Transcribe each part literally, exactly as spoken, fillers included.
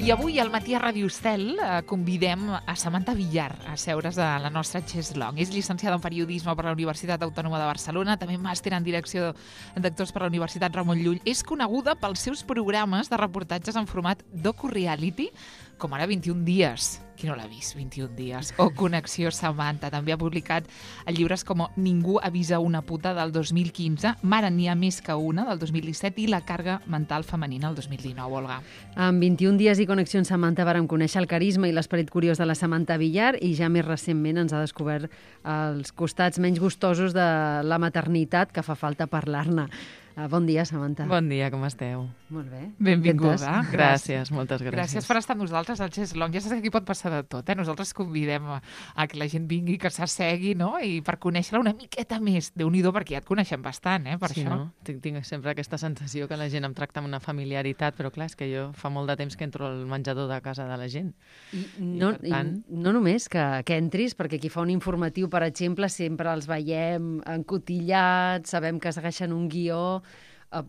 I avui al Matí a Ràdio Estel eh, convidem a Samantha Villar a seure's a la nostra Chess-Long. És llicenciada en Periodisme per la Universitat Autònoma de Barcelona, també màster en Direcció d'Actors per la Universitat Ramon Llull. És coneguda pels seus programes de reportatges en format docu-reality, com ara vint-i-un dies. Qui no l'ha vist? vint-i-un dies. O Connexió Samantha. També ha publicat llibres com Ningú avisa una puta del dos mil quinze, Mare n'hi ha més que una del dos mil disset i La càrrega mental femenina del dos mil dinou, Olga. En vint-i-un dies i Connexió amb Samantha vàrem conèixer el carisma i l'esperit curiós de la Samantha Villar i ja més recentment ens ha descobert els costats menys gustosos de la maternitat que fa falta parlar-ne. Uh, bon dia, Samantha. Bon dia, com esteu? Molt bé. Benvinguda. Gràcies, moltes gràcies. Gràcies per estar amb nosaltres al Chess-Long. Ja saps que aquí pot passar de tot, eh? Nosaltres convidem a, a que la gent vingui, que s'assegui, no? I per conèixer-la una miqueta més. Déu-n'hi-do, perquè ja et coneixem bastant, eh? Per sí, això. No? Tinc, tinc sempre aquesta sensació que la gent em tracta amb una familiaritat, però clar, és que jo fa molt de temps que entro al menjador de casa de la gent. I, no, I, per tant... i no només que, que entris, perquè aquí fa un informatiu, per exemple, sempre els veiem encotillats, sabem que segueixen un guió,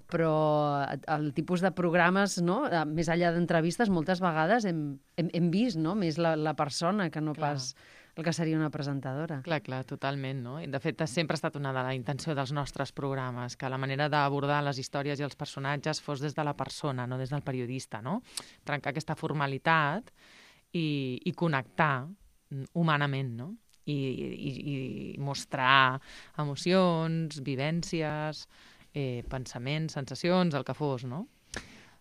però el tipus de programes, no? Més enllà d'entrevistes, moltes vegades hem, hem, hem vist, no? Més la, la persona que no clar. Pas el que seria una presentadora. Clar, clar, totalment, no? I de fet, sempre ha estat una de la intenció dels nostres programes, que la manera d'abordar les històries i els personatges fos des de la persona, no des del periodista, no? Trencar aquesta formalitat i, i connectar humanament, no? I, i, i mostrar emocions, vivències, Eh, pensaments, sensacions, el que fos, no?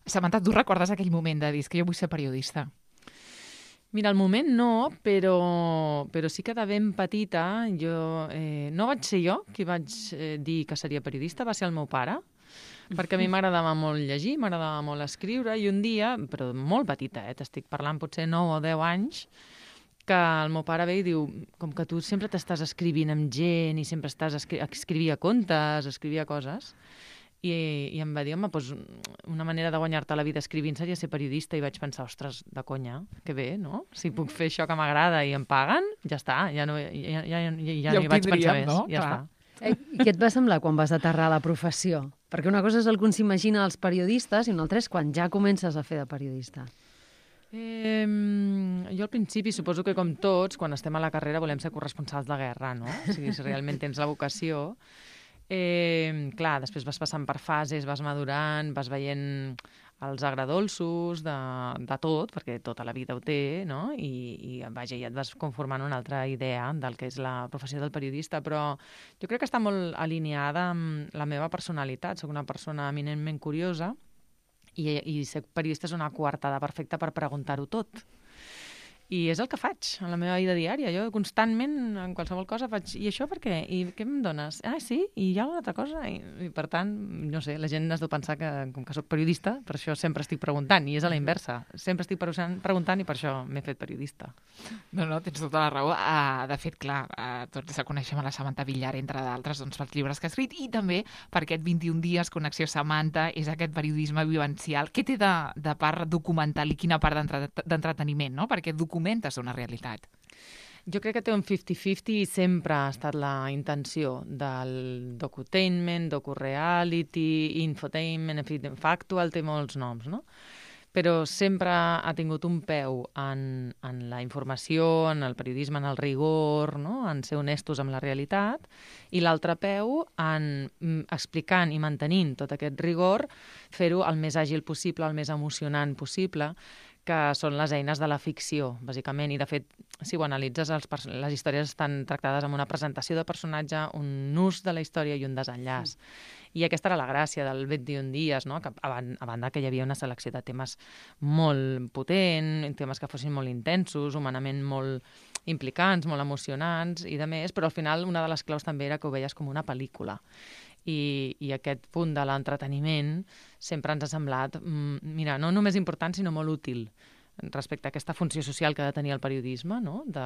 Samantha, tu recordes aquell moment de dir que jo vull ser periodista? Mira, al moment no, però, però sí que de ben petita jo, eh, no vaig ser jo qui vaig eh, dir que seria periodista, va ser el meu pare, perquè a mi m'agradava molt llegir, m'agradava molt escriure, i un dia, però molt petita, eh, t'estic parlant potser nou o deu anys, que el meu pare ve i diu, com que tu sempre t'estàs escrivint amb gent i sempre estàs escri escrivia contes, escrivia coses, i, i em va dir, home, doncs una manera de guanyar-te la vida escrivint seria ser periodista, i vaig pensar, ostres, de conya, que bé, no? Si puc fer això que m'agrada i em paguen, ja està, ja no, ja, ja, ja, ja, ja no hi vaig pensar més, no? Ja Clar. està. Eh, I què et va semblar quan vas aterrar a la professió? Perquè una cosa és el que s'imagina els periodistes i una altra és quan ja comences a fer de periodista. Eh, jo al principi suposo que com tots, quan estem a la carrera volem ser corresponsals de guerra, no? O sigui, si realment tens la vocació. Eh, clar, després vas passant per fases, vas madurant, vas veient els agradolços de, de tot, perquè tota la vida ho té, no? I, i vaja, ja et vas conformant una altra idea del que és la professió del periodista, però jo crec que està molt alineada amb la meva personalitat. Soc una persona eminentment curiosa, I, i ser periodista és una coartada perfecta per preguntar-ho tot. I és el que faig en la meva vida diària. Jo constantment, en qualsevol cosa, faig i això per què? I què em dones? Ah, sí? I hi ha una altra cosa? I, i per tant, no sé, la gent has de pensar que, com que soc periodista, per això sempre estic preguntant, i és a la inversa. Sempre estic preguntant i per això m'he fet periodista. No, no, tens tota la raó. Uh, de fet, clar, uh, tots la coneixem a la Samantha Villar, entre d'altres, doncs, pels llibres que ha escrit, i també per aquest vint-i-un dies, Connexió Samantha, és aquest periodisme vivencial. Què té de, de part documental i quina part d'entreteniment, no? Perquè documentes una realitat. Jo crec que té un cinquanta cinquanta i sempre ha estat la intenció del docutainment, docu-reality, infotainment, en fi, factual té molts noms, no? Però sempre ha tingut un peu en, en la informació, en el periodisme, en el rigor, no? En ser honestos amb la realitat, i l'altre peu en explicant i mantenint tot aquest rigor, fer-ho el més àgil possible, el més emocionant possible, que són les eines de la ficció, bàsicament. I, de fet, si ho analitzes, els les històries estan tractades amb una presentació de personatge, un ús de la història i un desenllaç. Mm. I aquesta era la gràcia del vint-i-un dies, no? Que a, a banda que hi havia una selecció de temes molt potent, temes que fossin molt intensos, humanament molt implicants, molt emocionants i de més, però al final una de les claus també era que ho veies com una pel·lícula. I, i aquest punt de l'entreteniment sempre ens ha semblat, mira, no només important, sinó molt útil respecte a aquesta funció social que ha de tenir el periodisme, no? De,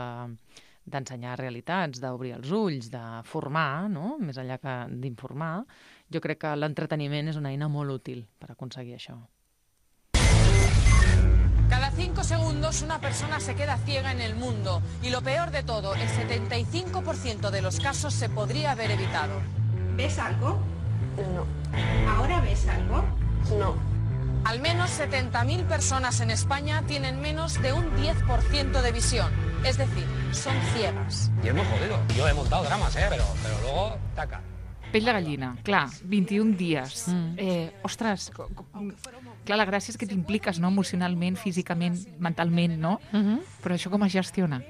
d'ensenyar realitats, d'obrir els ulls, de formar, no? Més enllà que d'informar. Jo crec que l'entreteniment és una eina molt útil per aconseguir això. Cada cinco segundos una persona se queda ciega en el mundo y lo peor de todo, el setenta y cinco por ciento de los casos se podría haber evitado. ¿Ves algo? No. ¿Ahora ves algo? No. Al menos setenta mil personas en España tienen menos de un diez por ciento de visión. Es decir, son ciegas. Y es muy jodido. Yo he montado dramas, ¿eh? Pero, pero luego, taca. Pell de gallina, clar, vint-i-un dies. Mm. Eh, ostres, co- co- clar, la gràcia és que t'impliques, no?, emocionalment, físicament, mentalment, no? Mhm. Però això com es gestiona?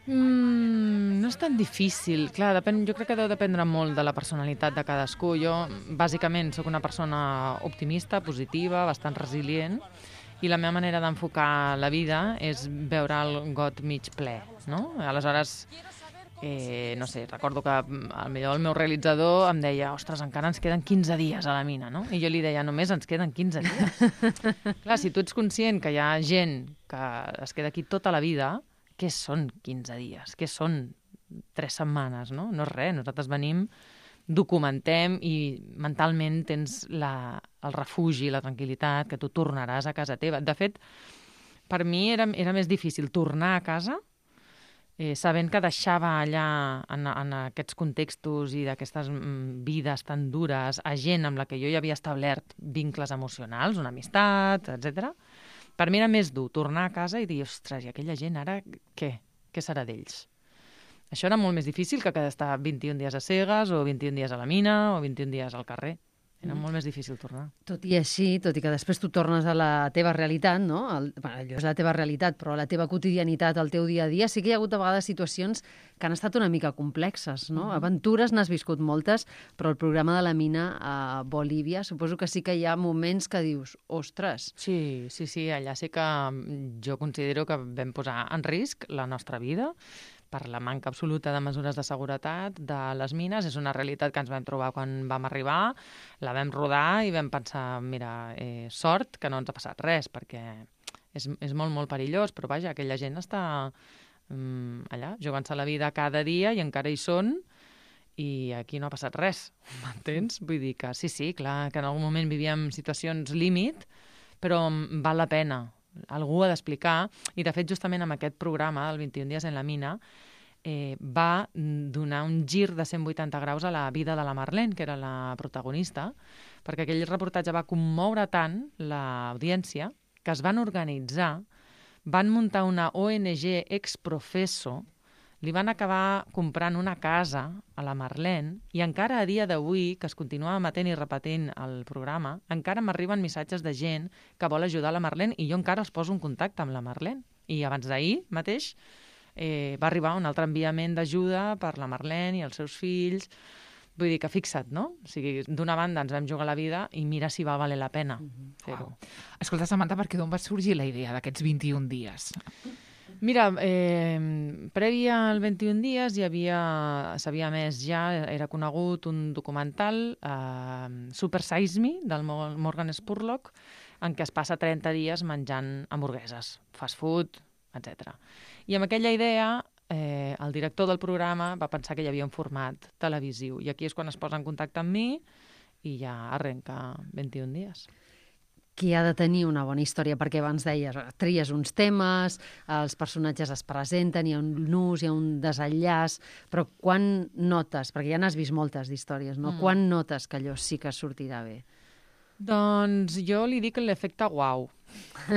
Mm, no és tan difícil. Clar, depèn, jo crec que deu dependre molt de la personalitat de cadascú. Jo, bàsicament, sóc una persona optimista, positiva, bastant resilient, i la meva manera d'enfocar la vida és veure el got mig ple, no? Aleshores, eh, no sé, recordo que mm, al millor el meu realitzador em deia ostres, encara ens queden quinze dies a la mina, no? I jo li deia, només ens queden quinze dies. Clar, si tu ets conscient que hi ha gent que es queda aquí tota la vida, què són quinze dies? Què són tres setmanes, no? No és res, nosaltres venim, documentem i mentalment tens la, el refugi, la tranquil·litat, que tu tornaràs a casa teva. De fet, per mi era, era més difícil tornar a casa eh, sabent que deixava allà, en, en aquests contextos i d'aquestes mm, vides tan dures, a gent amb la que jo ja havia establert vincles emocionals, una amistat, etcètera. Per mi era més dur tornar a casa i dir, ostres, i aquella gent ara què? Què serà d'ells? Això era molt més difícil que estar vint-i-un dies a cegues o vint-i-un dies a la mina o vint-i-un dies al carrer. Era molt més difícil tornar. Tot i així, tot i que després tu tornes a la teva realitat, no? El, bueno, allò és la teva realitat, però la teva quotidianitat, el teu dia a dia, sí que hi ha hagut a vegades situacions que han estat una mica complexes, no? Mm-hmm. Aventures n'has viscut moltes, però el programa de la mina a Bolívia, suposo que sí que hi ha moments que dius, ostres... Sí, sí, sí, allà sí que jo considero que vam posar en risc la nostra vida per la manca absoluta de mesures de seguretat de les mines. És una realitat que ens vam trobar quan vam arribar, la vam rodar i vam pensar, mira, eh, sort que no ens ha passat res, perquè és, és molt, molt perillós, però vaja, aquella gent està um, allà, jugant-se la vida cada dia i encara hi són, i aquí no ha passat res, m'entens? Vull dir que sí, sí, clar, que en algun moment vivíem situacions límit, però val la pena. Algú ha d'explicar, i de fet justament amb aquest programa, el vint-i-un dies en la mina, eh, va donar un gir de cent vuitanta graus a la vida de la Marlene, que era la protagonista, perquè aquell reportatge va commoure tant l'audiència que es van organitzar, van muntar una O N G ex-professo, li van acabar comprant una casa a la Marlene i encara a dia d'avui, que es continua emetent i repetint el programa, encara m'arriben missatges de gent que vol ajudar la Marlene i jo encara els poso en contacte amb la Marlene. I abans d'ahir mateix eh, va arribar un altre enviament d'ajuda per la Marlene i els seus fills. Vull dir que fixa't, no? O sigui, d'una banda ens vam jugar la vida i mira si va valer la pena mm-hmm. fer-ho. Wow. Escolta, Samantha, per què d'on va sorgir la idea d'aquests vint-i-un dies? Mira, eh, prèvia al vint-i-un dies hi havia, s'havia més ja, era conegut un documental, eh, Super Size Me, del Morgan Spurlock, en què es passa trenta dies menjant hamburgueses, fast food, etcètera. I amb aquella idea, eh, el director del programa va pensar que hi havia un format televisiu, i aquí és quan es posa en contacte amb mi i ja arrenca vint-i-un dies. Qui ha de tenir una bona història, perquè abans deies, tries uns temes, els personatges es presenten, hi ha un nus, hi ha un desenllaç, però quan notes, perquè ja n'has vist moltes d'històries, no? Mm. Quan notes que allò sí que sortirà bé? Doncs jo li dic l'efecte uau.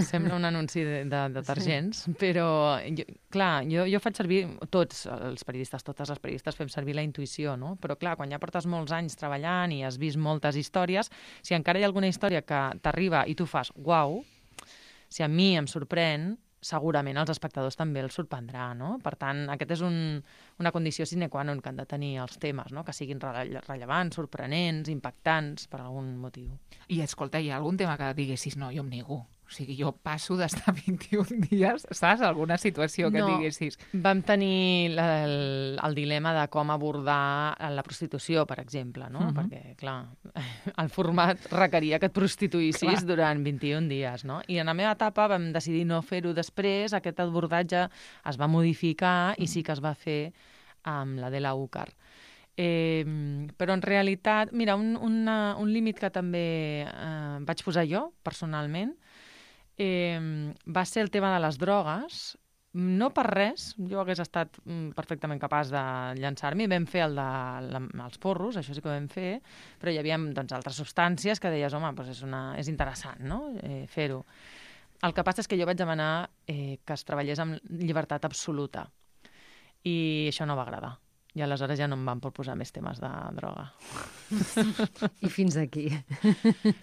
Sembla un anunci de, de detergents, sí. Però, jo, clar, jo, jo faig servir, tots els periodistes, totes les periodistes fem servir la intuïció, no? Però clar, quan ja portes molts anys treballant i has vist moltes històries, si encara hi ha alguna història que t'arriba i tu fas uau, si a mi em sorprèn, segurament als espectadors també els sorprendrà, no? Per tant, aquest és un, una condició sine qua non que han de tenir els temes, no? Que siguin rele rellevants, sorprenents, impactants, per algun motiu. I escolta, hi ha algun tema que diguessis, no, jo em nego. O sigui, jo passo d'estar vint-i-un dies, saps? Alguna situació que no, diguessis. Vam tenir la, el, el dilema de com abordar la prostitució, per exemple, no? Uh-huh. Perquè, clar, el format requeria que et prostituïssis clar. Durant vint-i-un dies, no? I en la meva etapa vam decidir no fer-ho després, aquest abordatge es va modificar i sí que es va fer amb la de la UCAR. Eh, però en realitat, mira, un, una, un límit que també eh, vaig posar jo, personalment, Eh, va ser el tema de les drogues, no per res, jo hagués estat mm, perfectament capaç de llançar-m'hi. Vam fer el de la, els porros, això sí que ho vam fer, però hi havia doncs, altres substàncies que deies, home, doncs és, una, és interessant, no?, eh, fer-ho. El que passa és que jo vaig demanar eh, que es treballés amb llibertat absoluta i això no va agradar. I aleshores ja no em van proposar més temes de droga. I fins aquí.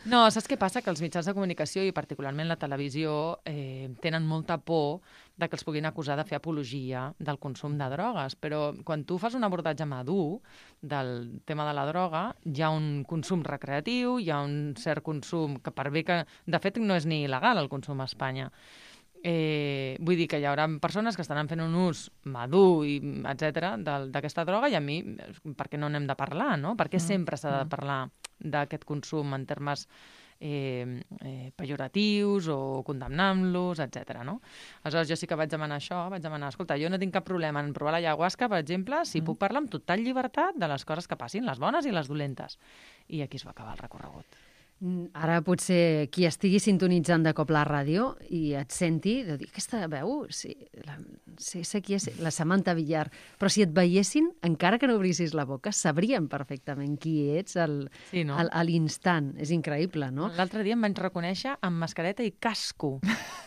No, saps què passa? Que els mitjans de comunicació, i particularment la televisió, eh, tenen molta por de que els puguin acusar de fer apologia del consum de drogues. Però quan tu fas un abordatge madur del tema de la droga, hi ha un consum recreatiu, hi ha un cert consum que per bé que... De fet, no és ni il·legal el consum a Espanya. Eh, vull dir que hi haurà persones que estaran fent un ús madur, i etcètera, d'aquesta droga, i a mi, per què no n'hem de parlar, no? Per què sempre s'ha de parlar d'aquest consum en termes eh, eh, pejoratius o condemnant-los, etcètera, no? Aleshores, jo sí que vaig demanar això, vaig demanar, escolta, jo no tinc cap problema en provar la ayahuasca, per exemple, si mm. puc parlar amb total llibertat de les coses que passin, les bones i les dolentes. I aquí es va acabar el recorregut. Ara potser qui estigui sintonitzant de cop la ràdio i et senti, de dir, aquesta veu, sí, la, sí, sé qui és, la Samantha Villar, però si et veiessin, encara que no obrissis la boca, sabrien perfectament qui ets al, sí, no? al, a l'instant. És increïble, no? L'altre dia em vaig reconèixer amb mascareta i casco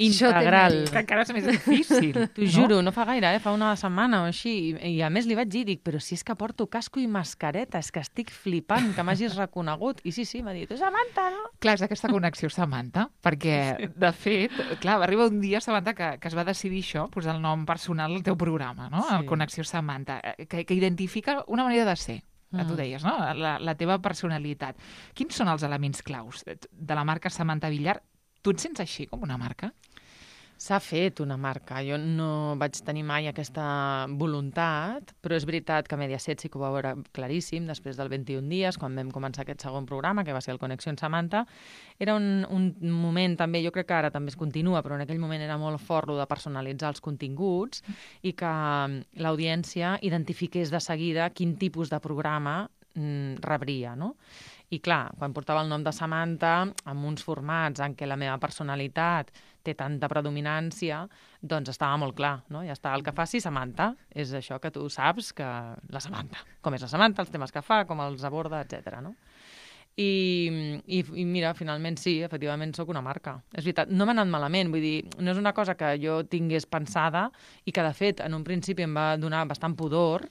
integral. Que encara és més difícil. T'ho no? juro, no fa gaire, eh? Fa una setmana o així. I, I a més li vaig dir, dic, però si és que porto casco i mascareta, és que estic flipant que m'hagis reconegut. I sí, sí, m'ha dit, Samantha, no? Clar, és aquesta connexió, Samantha, perquè, sí. de fet, clar, va arribar un dia, Samantha, que, que es va decidir això, posar el nom personal al teu programa, no? Sí. El Connexió Samantha, que, que identifica una manera de ser, que tu deies, no? La, la teva personalitat. Quins són els elements claus de la marca Samantha Villar? Tu et sents així, com una marca? S'ha fet una marca. Jo no vaig tenir mai aquesta voluntat, però és veritat que Mediaset sí que ho va veure claríssim després del vint-i-un dies, quan vam començar aquest segon programa, que va ser el Connexió Samantha. Era un, un moment també, jo crec que ara també es continua, però en aquell moment era molt fort lo de personalitzar els continguts i que l'audiència identifiqués de seguida quin tipus de programa mm, rebria, no? I clar, quan portava el nom de Samantha, amb uns formats en què la meva personalitat té tanta predominància, doncs estava molt clar, no? Ja està, el que faci Samantha és això que tu saps que la Samantha, com és la Samantha, els temes que fa, com els aborda, etcètera, no? I, i, i mira, finalment sí, efectivament sóc una marca. És veritat, no m'ha anat malament, vull dir, no és una cosa que jo tingués pensada i que, de fet, en un principi em va donar bastant pudor,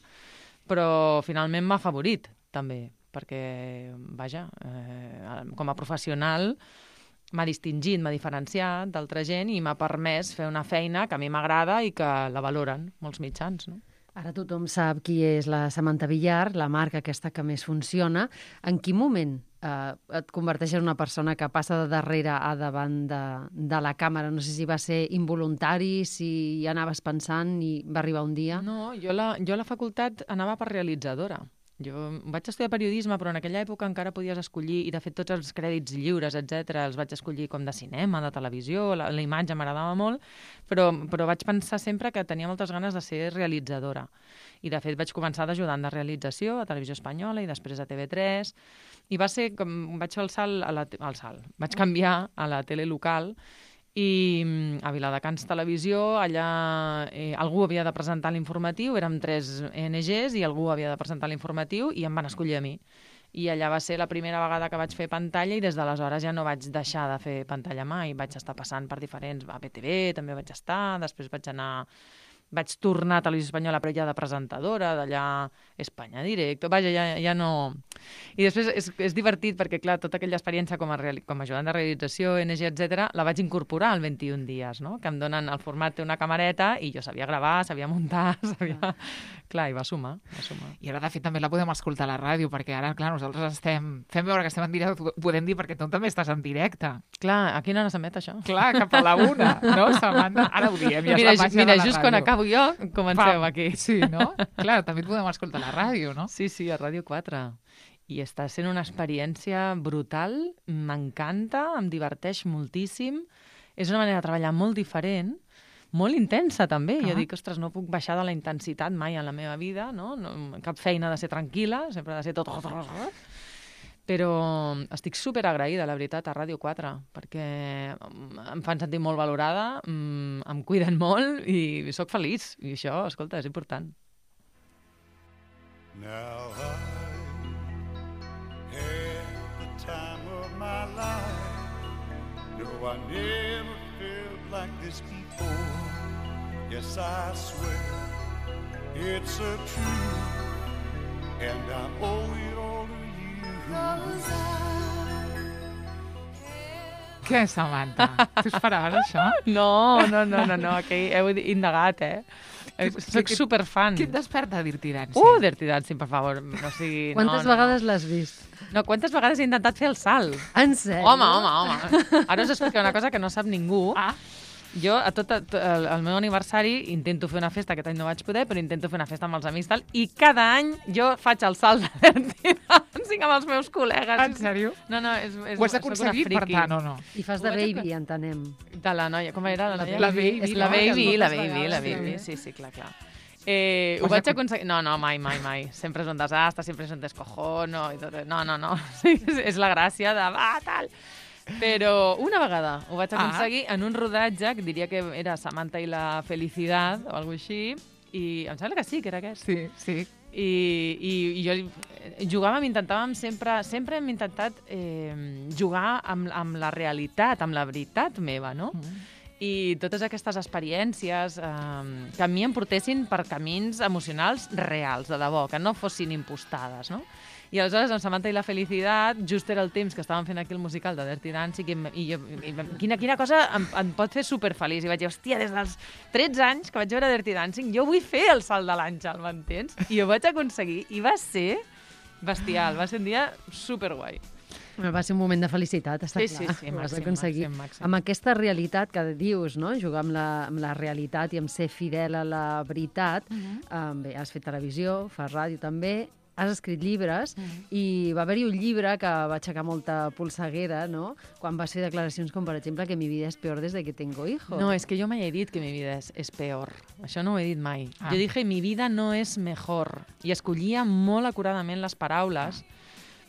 però finalment m'ha afavorit, també, perquè, vaja, eh, com a professional m'ha distingit, m'ha diferenciat d'altra gent i m'ha permès fer una feina que a mi m'agrada i que la valoren molts mitjans, no? Ara tothom sap qui és la Samantha Villar, la marca aquesta que més funciona. En quin moment eh, et converteixes en una persona que passa de darrere a davant de, de la càmera? No sé si va ser involuntari, si hi anaves pensant i va arribar un dia. No, jo la, jo a la facultat anava per realitzadora. Jo vaig estudiar periodisme, però en aquella època encara podies escollir, i de fet tots els crèdits lliures, etcètera, els vaig escollir com de cinema, de televisió, la, la imatge m'agradava molt, però, però vaig pensar sempre que tenia moltes ganes de ser realitzadora. I de fet vaig començar d'ajudant de realització a Televisió Espanyola i després a T V tres, i va ser com vaig fer el salt, a la, el salt. Vaig canviar a la tele local, i a Viladecans Televisió, allà eh, algú havia de presentar l'informatiu, érem tres O N Ges i algú havia de presentar l'informatiu i em van escollir a mi. I allà va ser la primera vegada que vaig fer pantalla i des d'aleshores ja no vaig deixar de fer pantalla mai. Vaig estar passant per diferents... A B T V també vaig estar, després vaig anar... Vaig tornar a Televisió Espanyola, però ja de presentadora, d'allà Espanya Directo, vaja, ja, ja no... I després és, és divertit perquè, clar, tota aquella experiència com a, reali... com a ajudant de realització, O N G, etcètera, la vaig incorporar al vint-i-un dies, no? Que em donen el format, té una camereta, i jo sabia gravar, sabia muntar, sabia... Clar, i va sumar, va sumar. I ara, de fet, també la podem escoltar a la ràdio, perquè ara, clar, nosaltres estem... Fem veure que estem en directe, ho podem dir perquè tu també estàs en directe. Clar, a quina hora s'emet això? Clar, cap a la una, no, Samantha? Ara ho diem, ja mira, és la màgia mira, de la just ràdio. Quan acabo jo, comenceu Pam. aquí. Sí, no? Clar, també et podem escoltar a la ràdio, no? Sí, sí, a Ràdio quatre. I està sent una experiència brutal, m'encanta, em diverteix moltíssim. És una manera de treballar molt diferent, molt intensa també. Ah. Jo dic, ostres, no puc baixar de la intensitat mai en la meva vida, no? No, cap feina ha de ser tranquil·la, sempre ha de ser tot... Però estic super agraïda, la veritat, a Ràdio quatre, perquè em fan sentir molt valorada, em cuiden molt i sóc feliç. I això, escolta, és important. Now I had the time of my life. No, I never felt like this before. Yes, I swear it's a truth, and I owe it all to you. Què, Samantha? Tu esperaves això? No, no, no, no, no, que heu indagat, eh? Soc superfan. Què et desperta Dirty Dancing? Uh, Dirty Dancing, per favor. O sigui, Quantes no, vegades no. l'has vist? No, quantes vegades he intentat fer el salt? En sèrio? Home, home, home. Ara us explico una cosa que no sap ningú. Ah. Jo, a tot el, el meu aniversari, intento fer una festa, aquest any no vaig poder, però intento fer una festa amb els amics tal, i cada any jo faig el salt de Dirty Dancing amb els meus col·legues. En sèrio? No, no, és, és, Ho has aconseguit, per tant, o no? I fas de Ho vaig baby, entenem. De la noia, com era la noia? La baby. La baby, la moltes baby, la vegades, baby, sí. sí, sí, clar, clar. Eh, ho Has vaig acon- aconseguir... No, no, mai, mai, mai. Sempre és un desastre, sempre és un descojono. I tot. No, no, no. Sí, és, és la gràcia de... Va, tal... Però una vegada ho vaig aconseguir ah. en un rodatge, que diria que era Samantha i la Felicidad, o alguna així, i em sembla que sí, que era aquest. Sí, sí. I, i, i jo jugàvem, intentàvem sempre, sempre hem intentat eh, jugar amb, amb la realitat, amb la veritat meva, no? Mm. I totes aquestes experiències eh, que a mi em portessin per camins emocionals reals, de debò, que no fossin impostades, no? I aleshores, amb Samantha i la Felicitat, just era el temps que estàvem fent aquí el musical de Dirty Dancing i, i, jo, i quina, quina cosa em, em pot fer superfeliç. I vaig dir, hòstia, des dels tretze anys que vaig veure Dirty Dancing, jo vull fer el salt de l'Àngel, m'entens? I ho vaig aconseguir i va ser bestial, va ser un dia superguai. Va ser un moment de felicitat, està Sí, clar. sí, sí, Ho vas màxim, aconseguir. màxim, màxim. Amb aquesta realitat que dius, no? Jugar amb la, amb la realitat i amb ser fidel a la veritat. Uh-huh. um, bé, has fet televisió, fas ràdio també, has escrit llibres, uh-huh. i va haver-hi un llibre que va aixecar molta polseguera, no? Quan vas fer declaracions com, per exemple, que mi vida és peor des de que tengo hijos. No, és que jo mai he dit que mi vida és, és peor. Això no ho he dit mai. Ah. Jo dije, mi vida no és mejor. I escollia molt acuradament les paraules,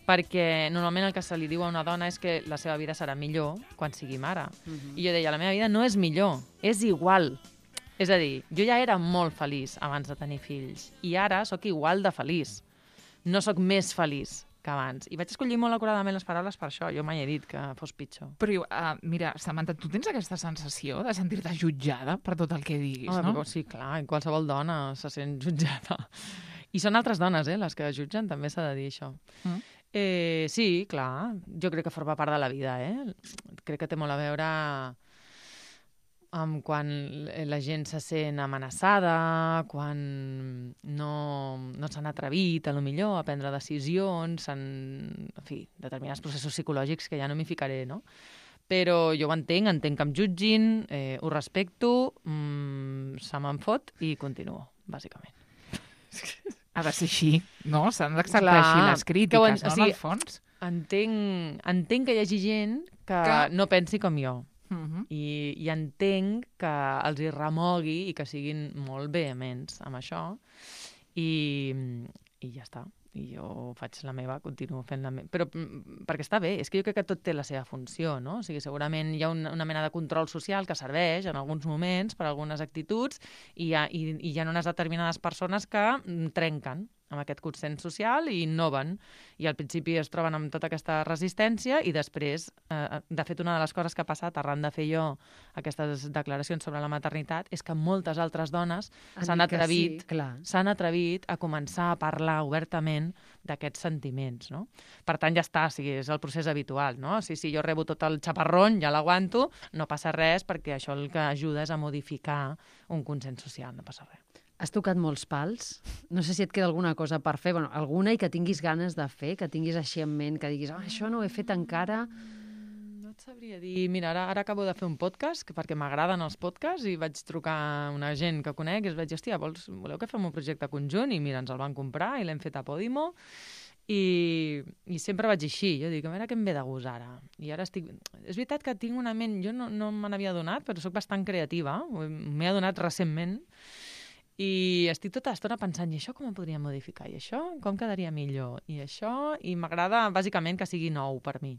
perquè normalment el que se li diu a una dona és que la seva vida serà millor quan sigui mare. Uh-huh. I jo deia, la meva vida no és millor, és igual. És a dir, jo ja era molt feliç abans de tenir fills, i ara sóc igual de feliç. No sóc més feliç que abans. I vaig escollir molt acuradament les paraules per això. Jo mai he dit que fos pitjor. Però, uh, mira, Samantha, tu tens aquesta sensació de sentir-te jutjada per tot el que diguis, Home, no? però sí, clar, qualsevol dona se sent jutjada. I són altres dones, eh, les que jutgen, també s'ha de dir això. Mm. Eh, sí, clar, jo crec que forma part de la vida, eh? Crec que té molt a veure amb quan la gent se sent amenaçada, quan no, no s'han atrevit, a lo millor, a prendre decisions, en, en fi, determinats processos psicològics que ja no m'hi ficaré, no? Però jo ho entenc, entenc que em jutgin, eh, ho respecto, mmm, se me'n fot i continuo, bàsicament. Ha de ser així, no? S'han d'acceptar Clar, així les que crítiques, ho en- no, o sigui, en el fons? Entenc, entenc que hi hagi gent que, Que- no pensi com jo. Uh -huh. I, i entenc que els hi remogui i que siguin molt vehements amb això i, i ja està. I jo faig la meva, continuo fent la meva. Però mm, perquè està bé, és que jo crec que tot té la seva funció, no? O sigui, segurament hi ha una, una mena de control social que serveix en alguns moments per algunes actituds i hi ha, i, i hi ha unes determinades persones que mm, trenquen amb aquest consens social i innoven. I al principi es troben amb tota aquesta resistència i després, eh, de fet, una de les coses que ha passat arran de fer jo aquestes declaracions sobre la maternitat és que moltes altres dones Han s'han dit que atrevit, sí, clar. s'han atrevit a començar a parlar obertament d'aquests sentiments, no? Per tant, ja està, o sigui, és el procés habitual, no? Si, si jo rebo tot el xaparrón, ja l'aguanto, no passa res, perquè això el que ajuda és a modificar un consens social, no passa res. Has tocat molts pals. No sé si et queda alguna cosa per fer. Bueno, alguna i que tinguis ganes de fer, que tinguis així en ment, que diguis, oh, això no ho he fet encara. No et sabria dir... Mira, ara, ara acabo de fer un podcast, que perquè m'agraden els podcasts, i vaig trucar a una gent que conec i es vaig dir, hòstia, vols, voleu que fem un projecte conjunt? I mira, ens el van comprar i l'hem fet a Podimo. I, i sempre vaig així, jo dic, a veure què em ve de gust ara. I ara estic... És veritat que tinc una ment... Jo no, no me n'havia adonat, però sóc bastant creativa. M'he adonat recentment. I estic tota l'estona pensant, i això com ho podria modificar? I això com quedaria millor? I això... I m'agrada, bàsicament, que sigui nou per mi.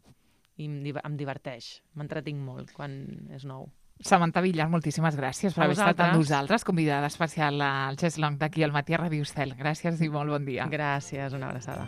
I em, div em diverteix. M'entretinc molt quan és nou. Samantha Villar, moltíssimes gràcies per A haver estat amb vosaltres. nosaltres, convidada especial al Chess Long d'aquí al Matí a Ràdio Estel. Gràcies i molt bon dia. Gràcies, una abraçada.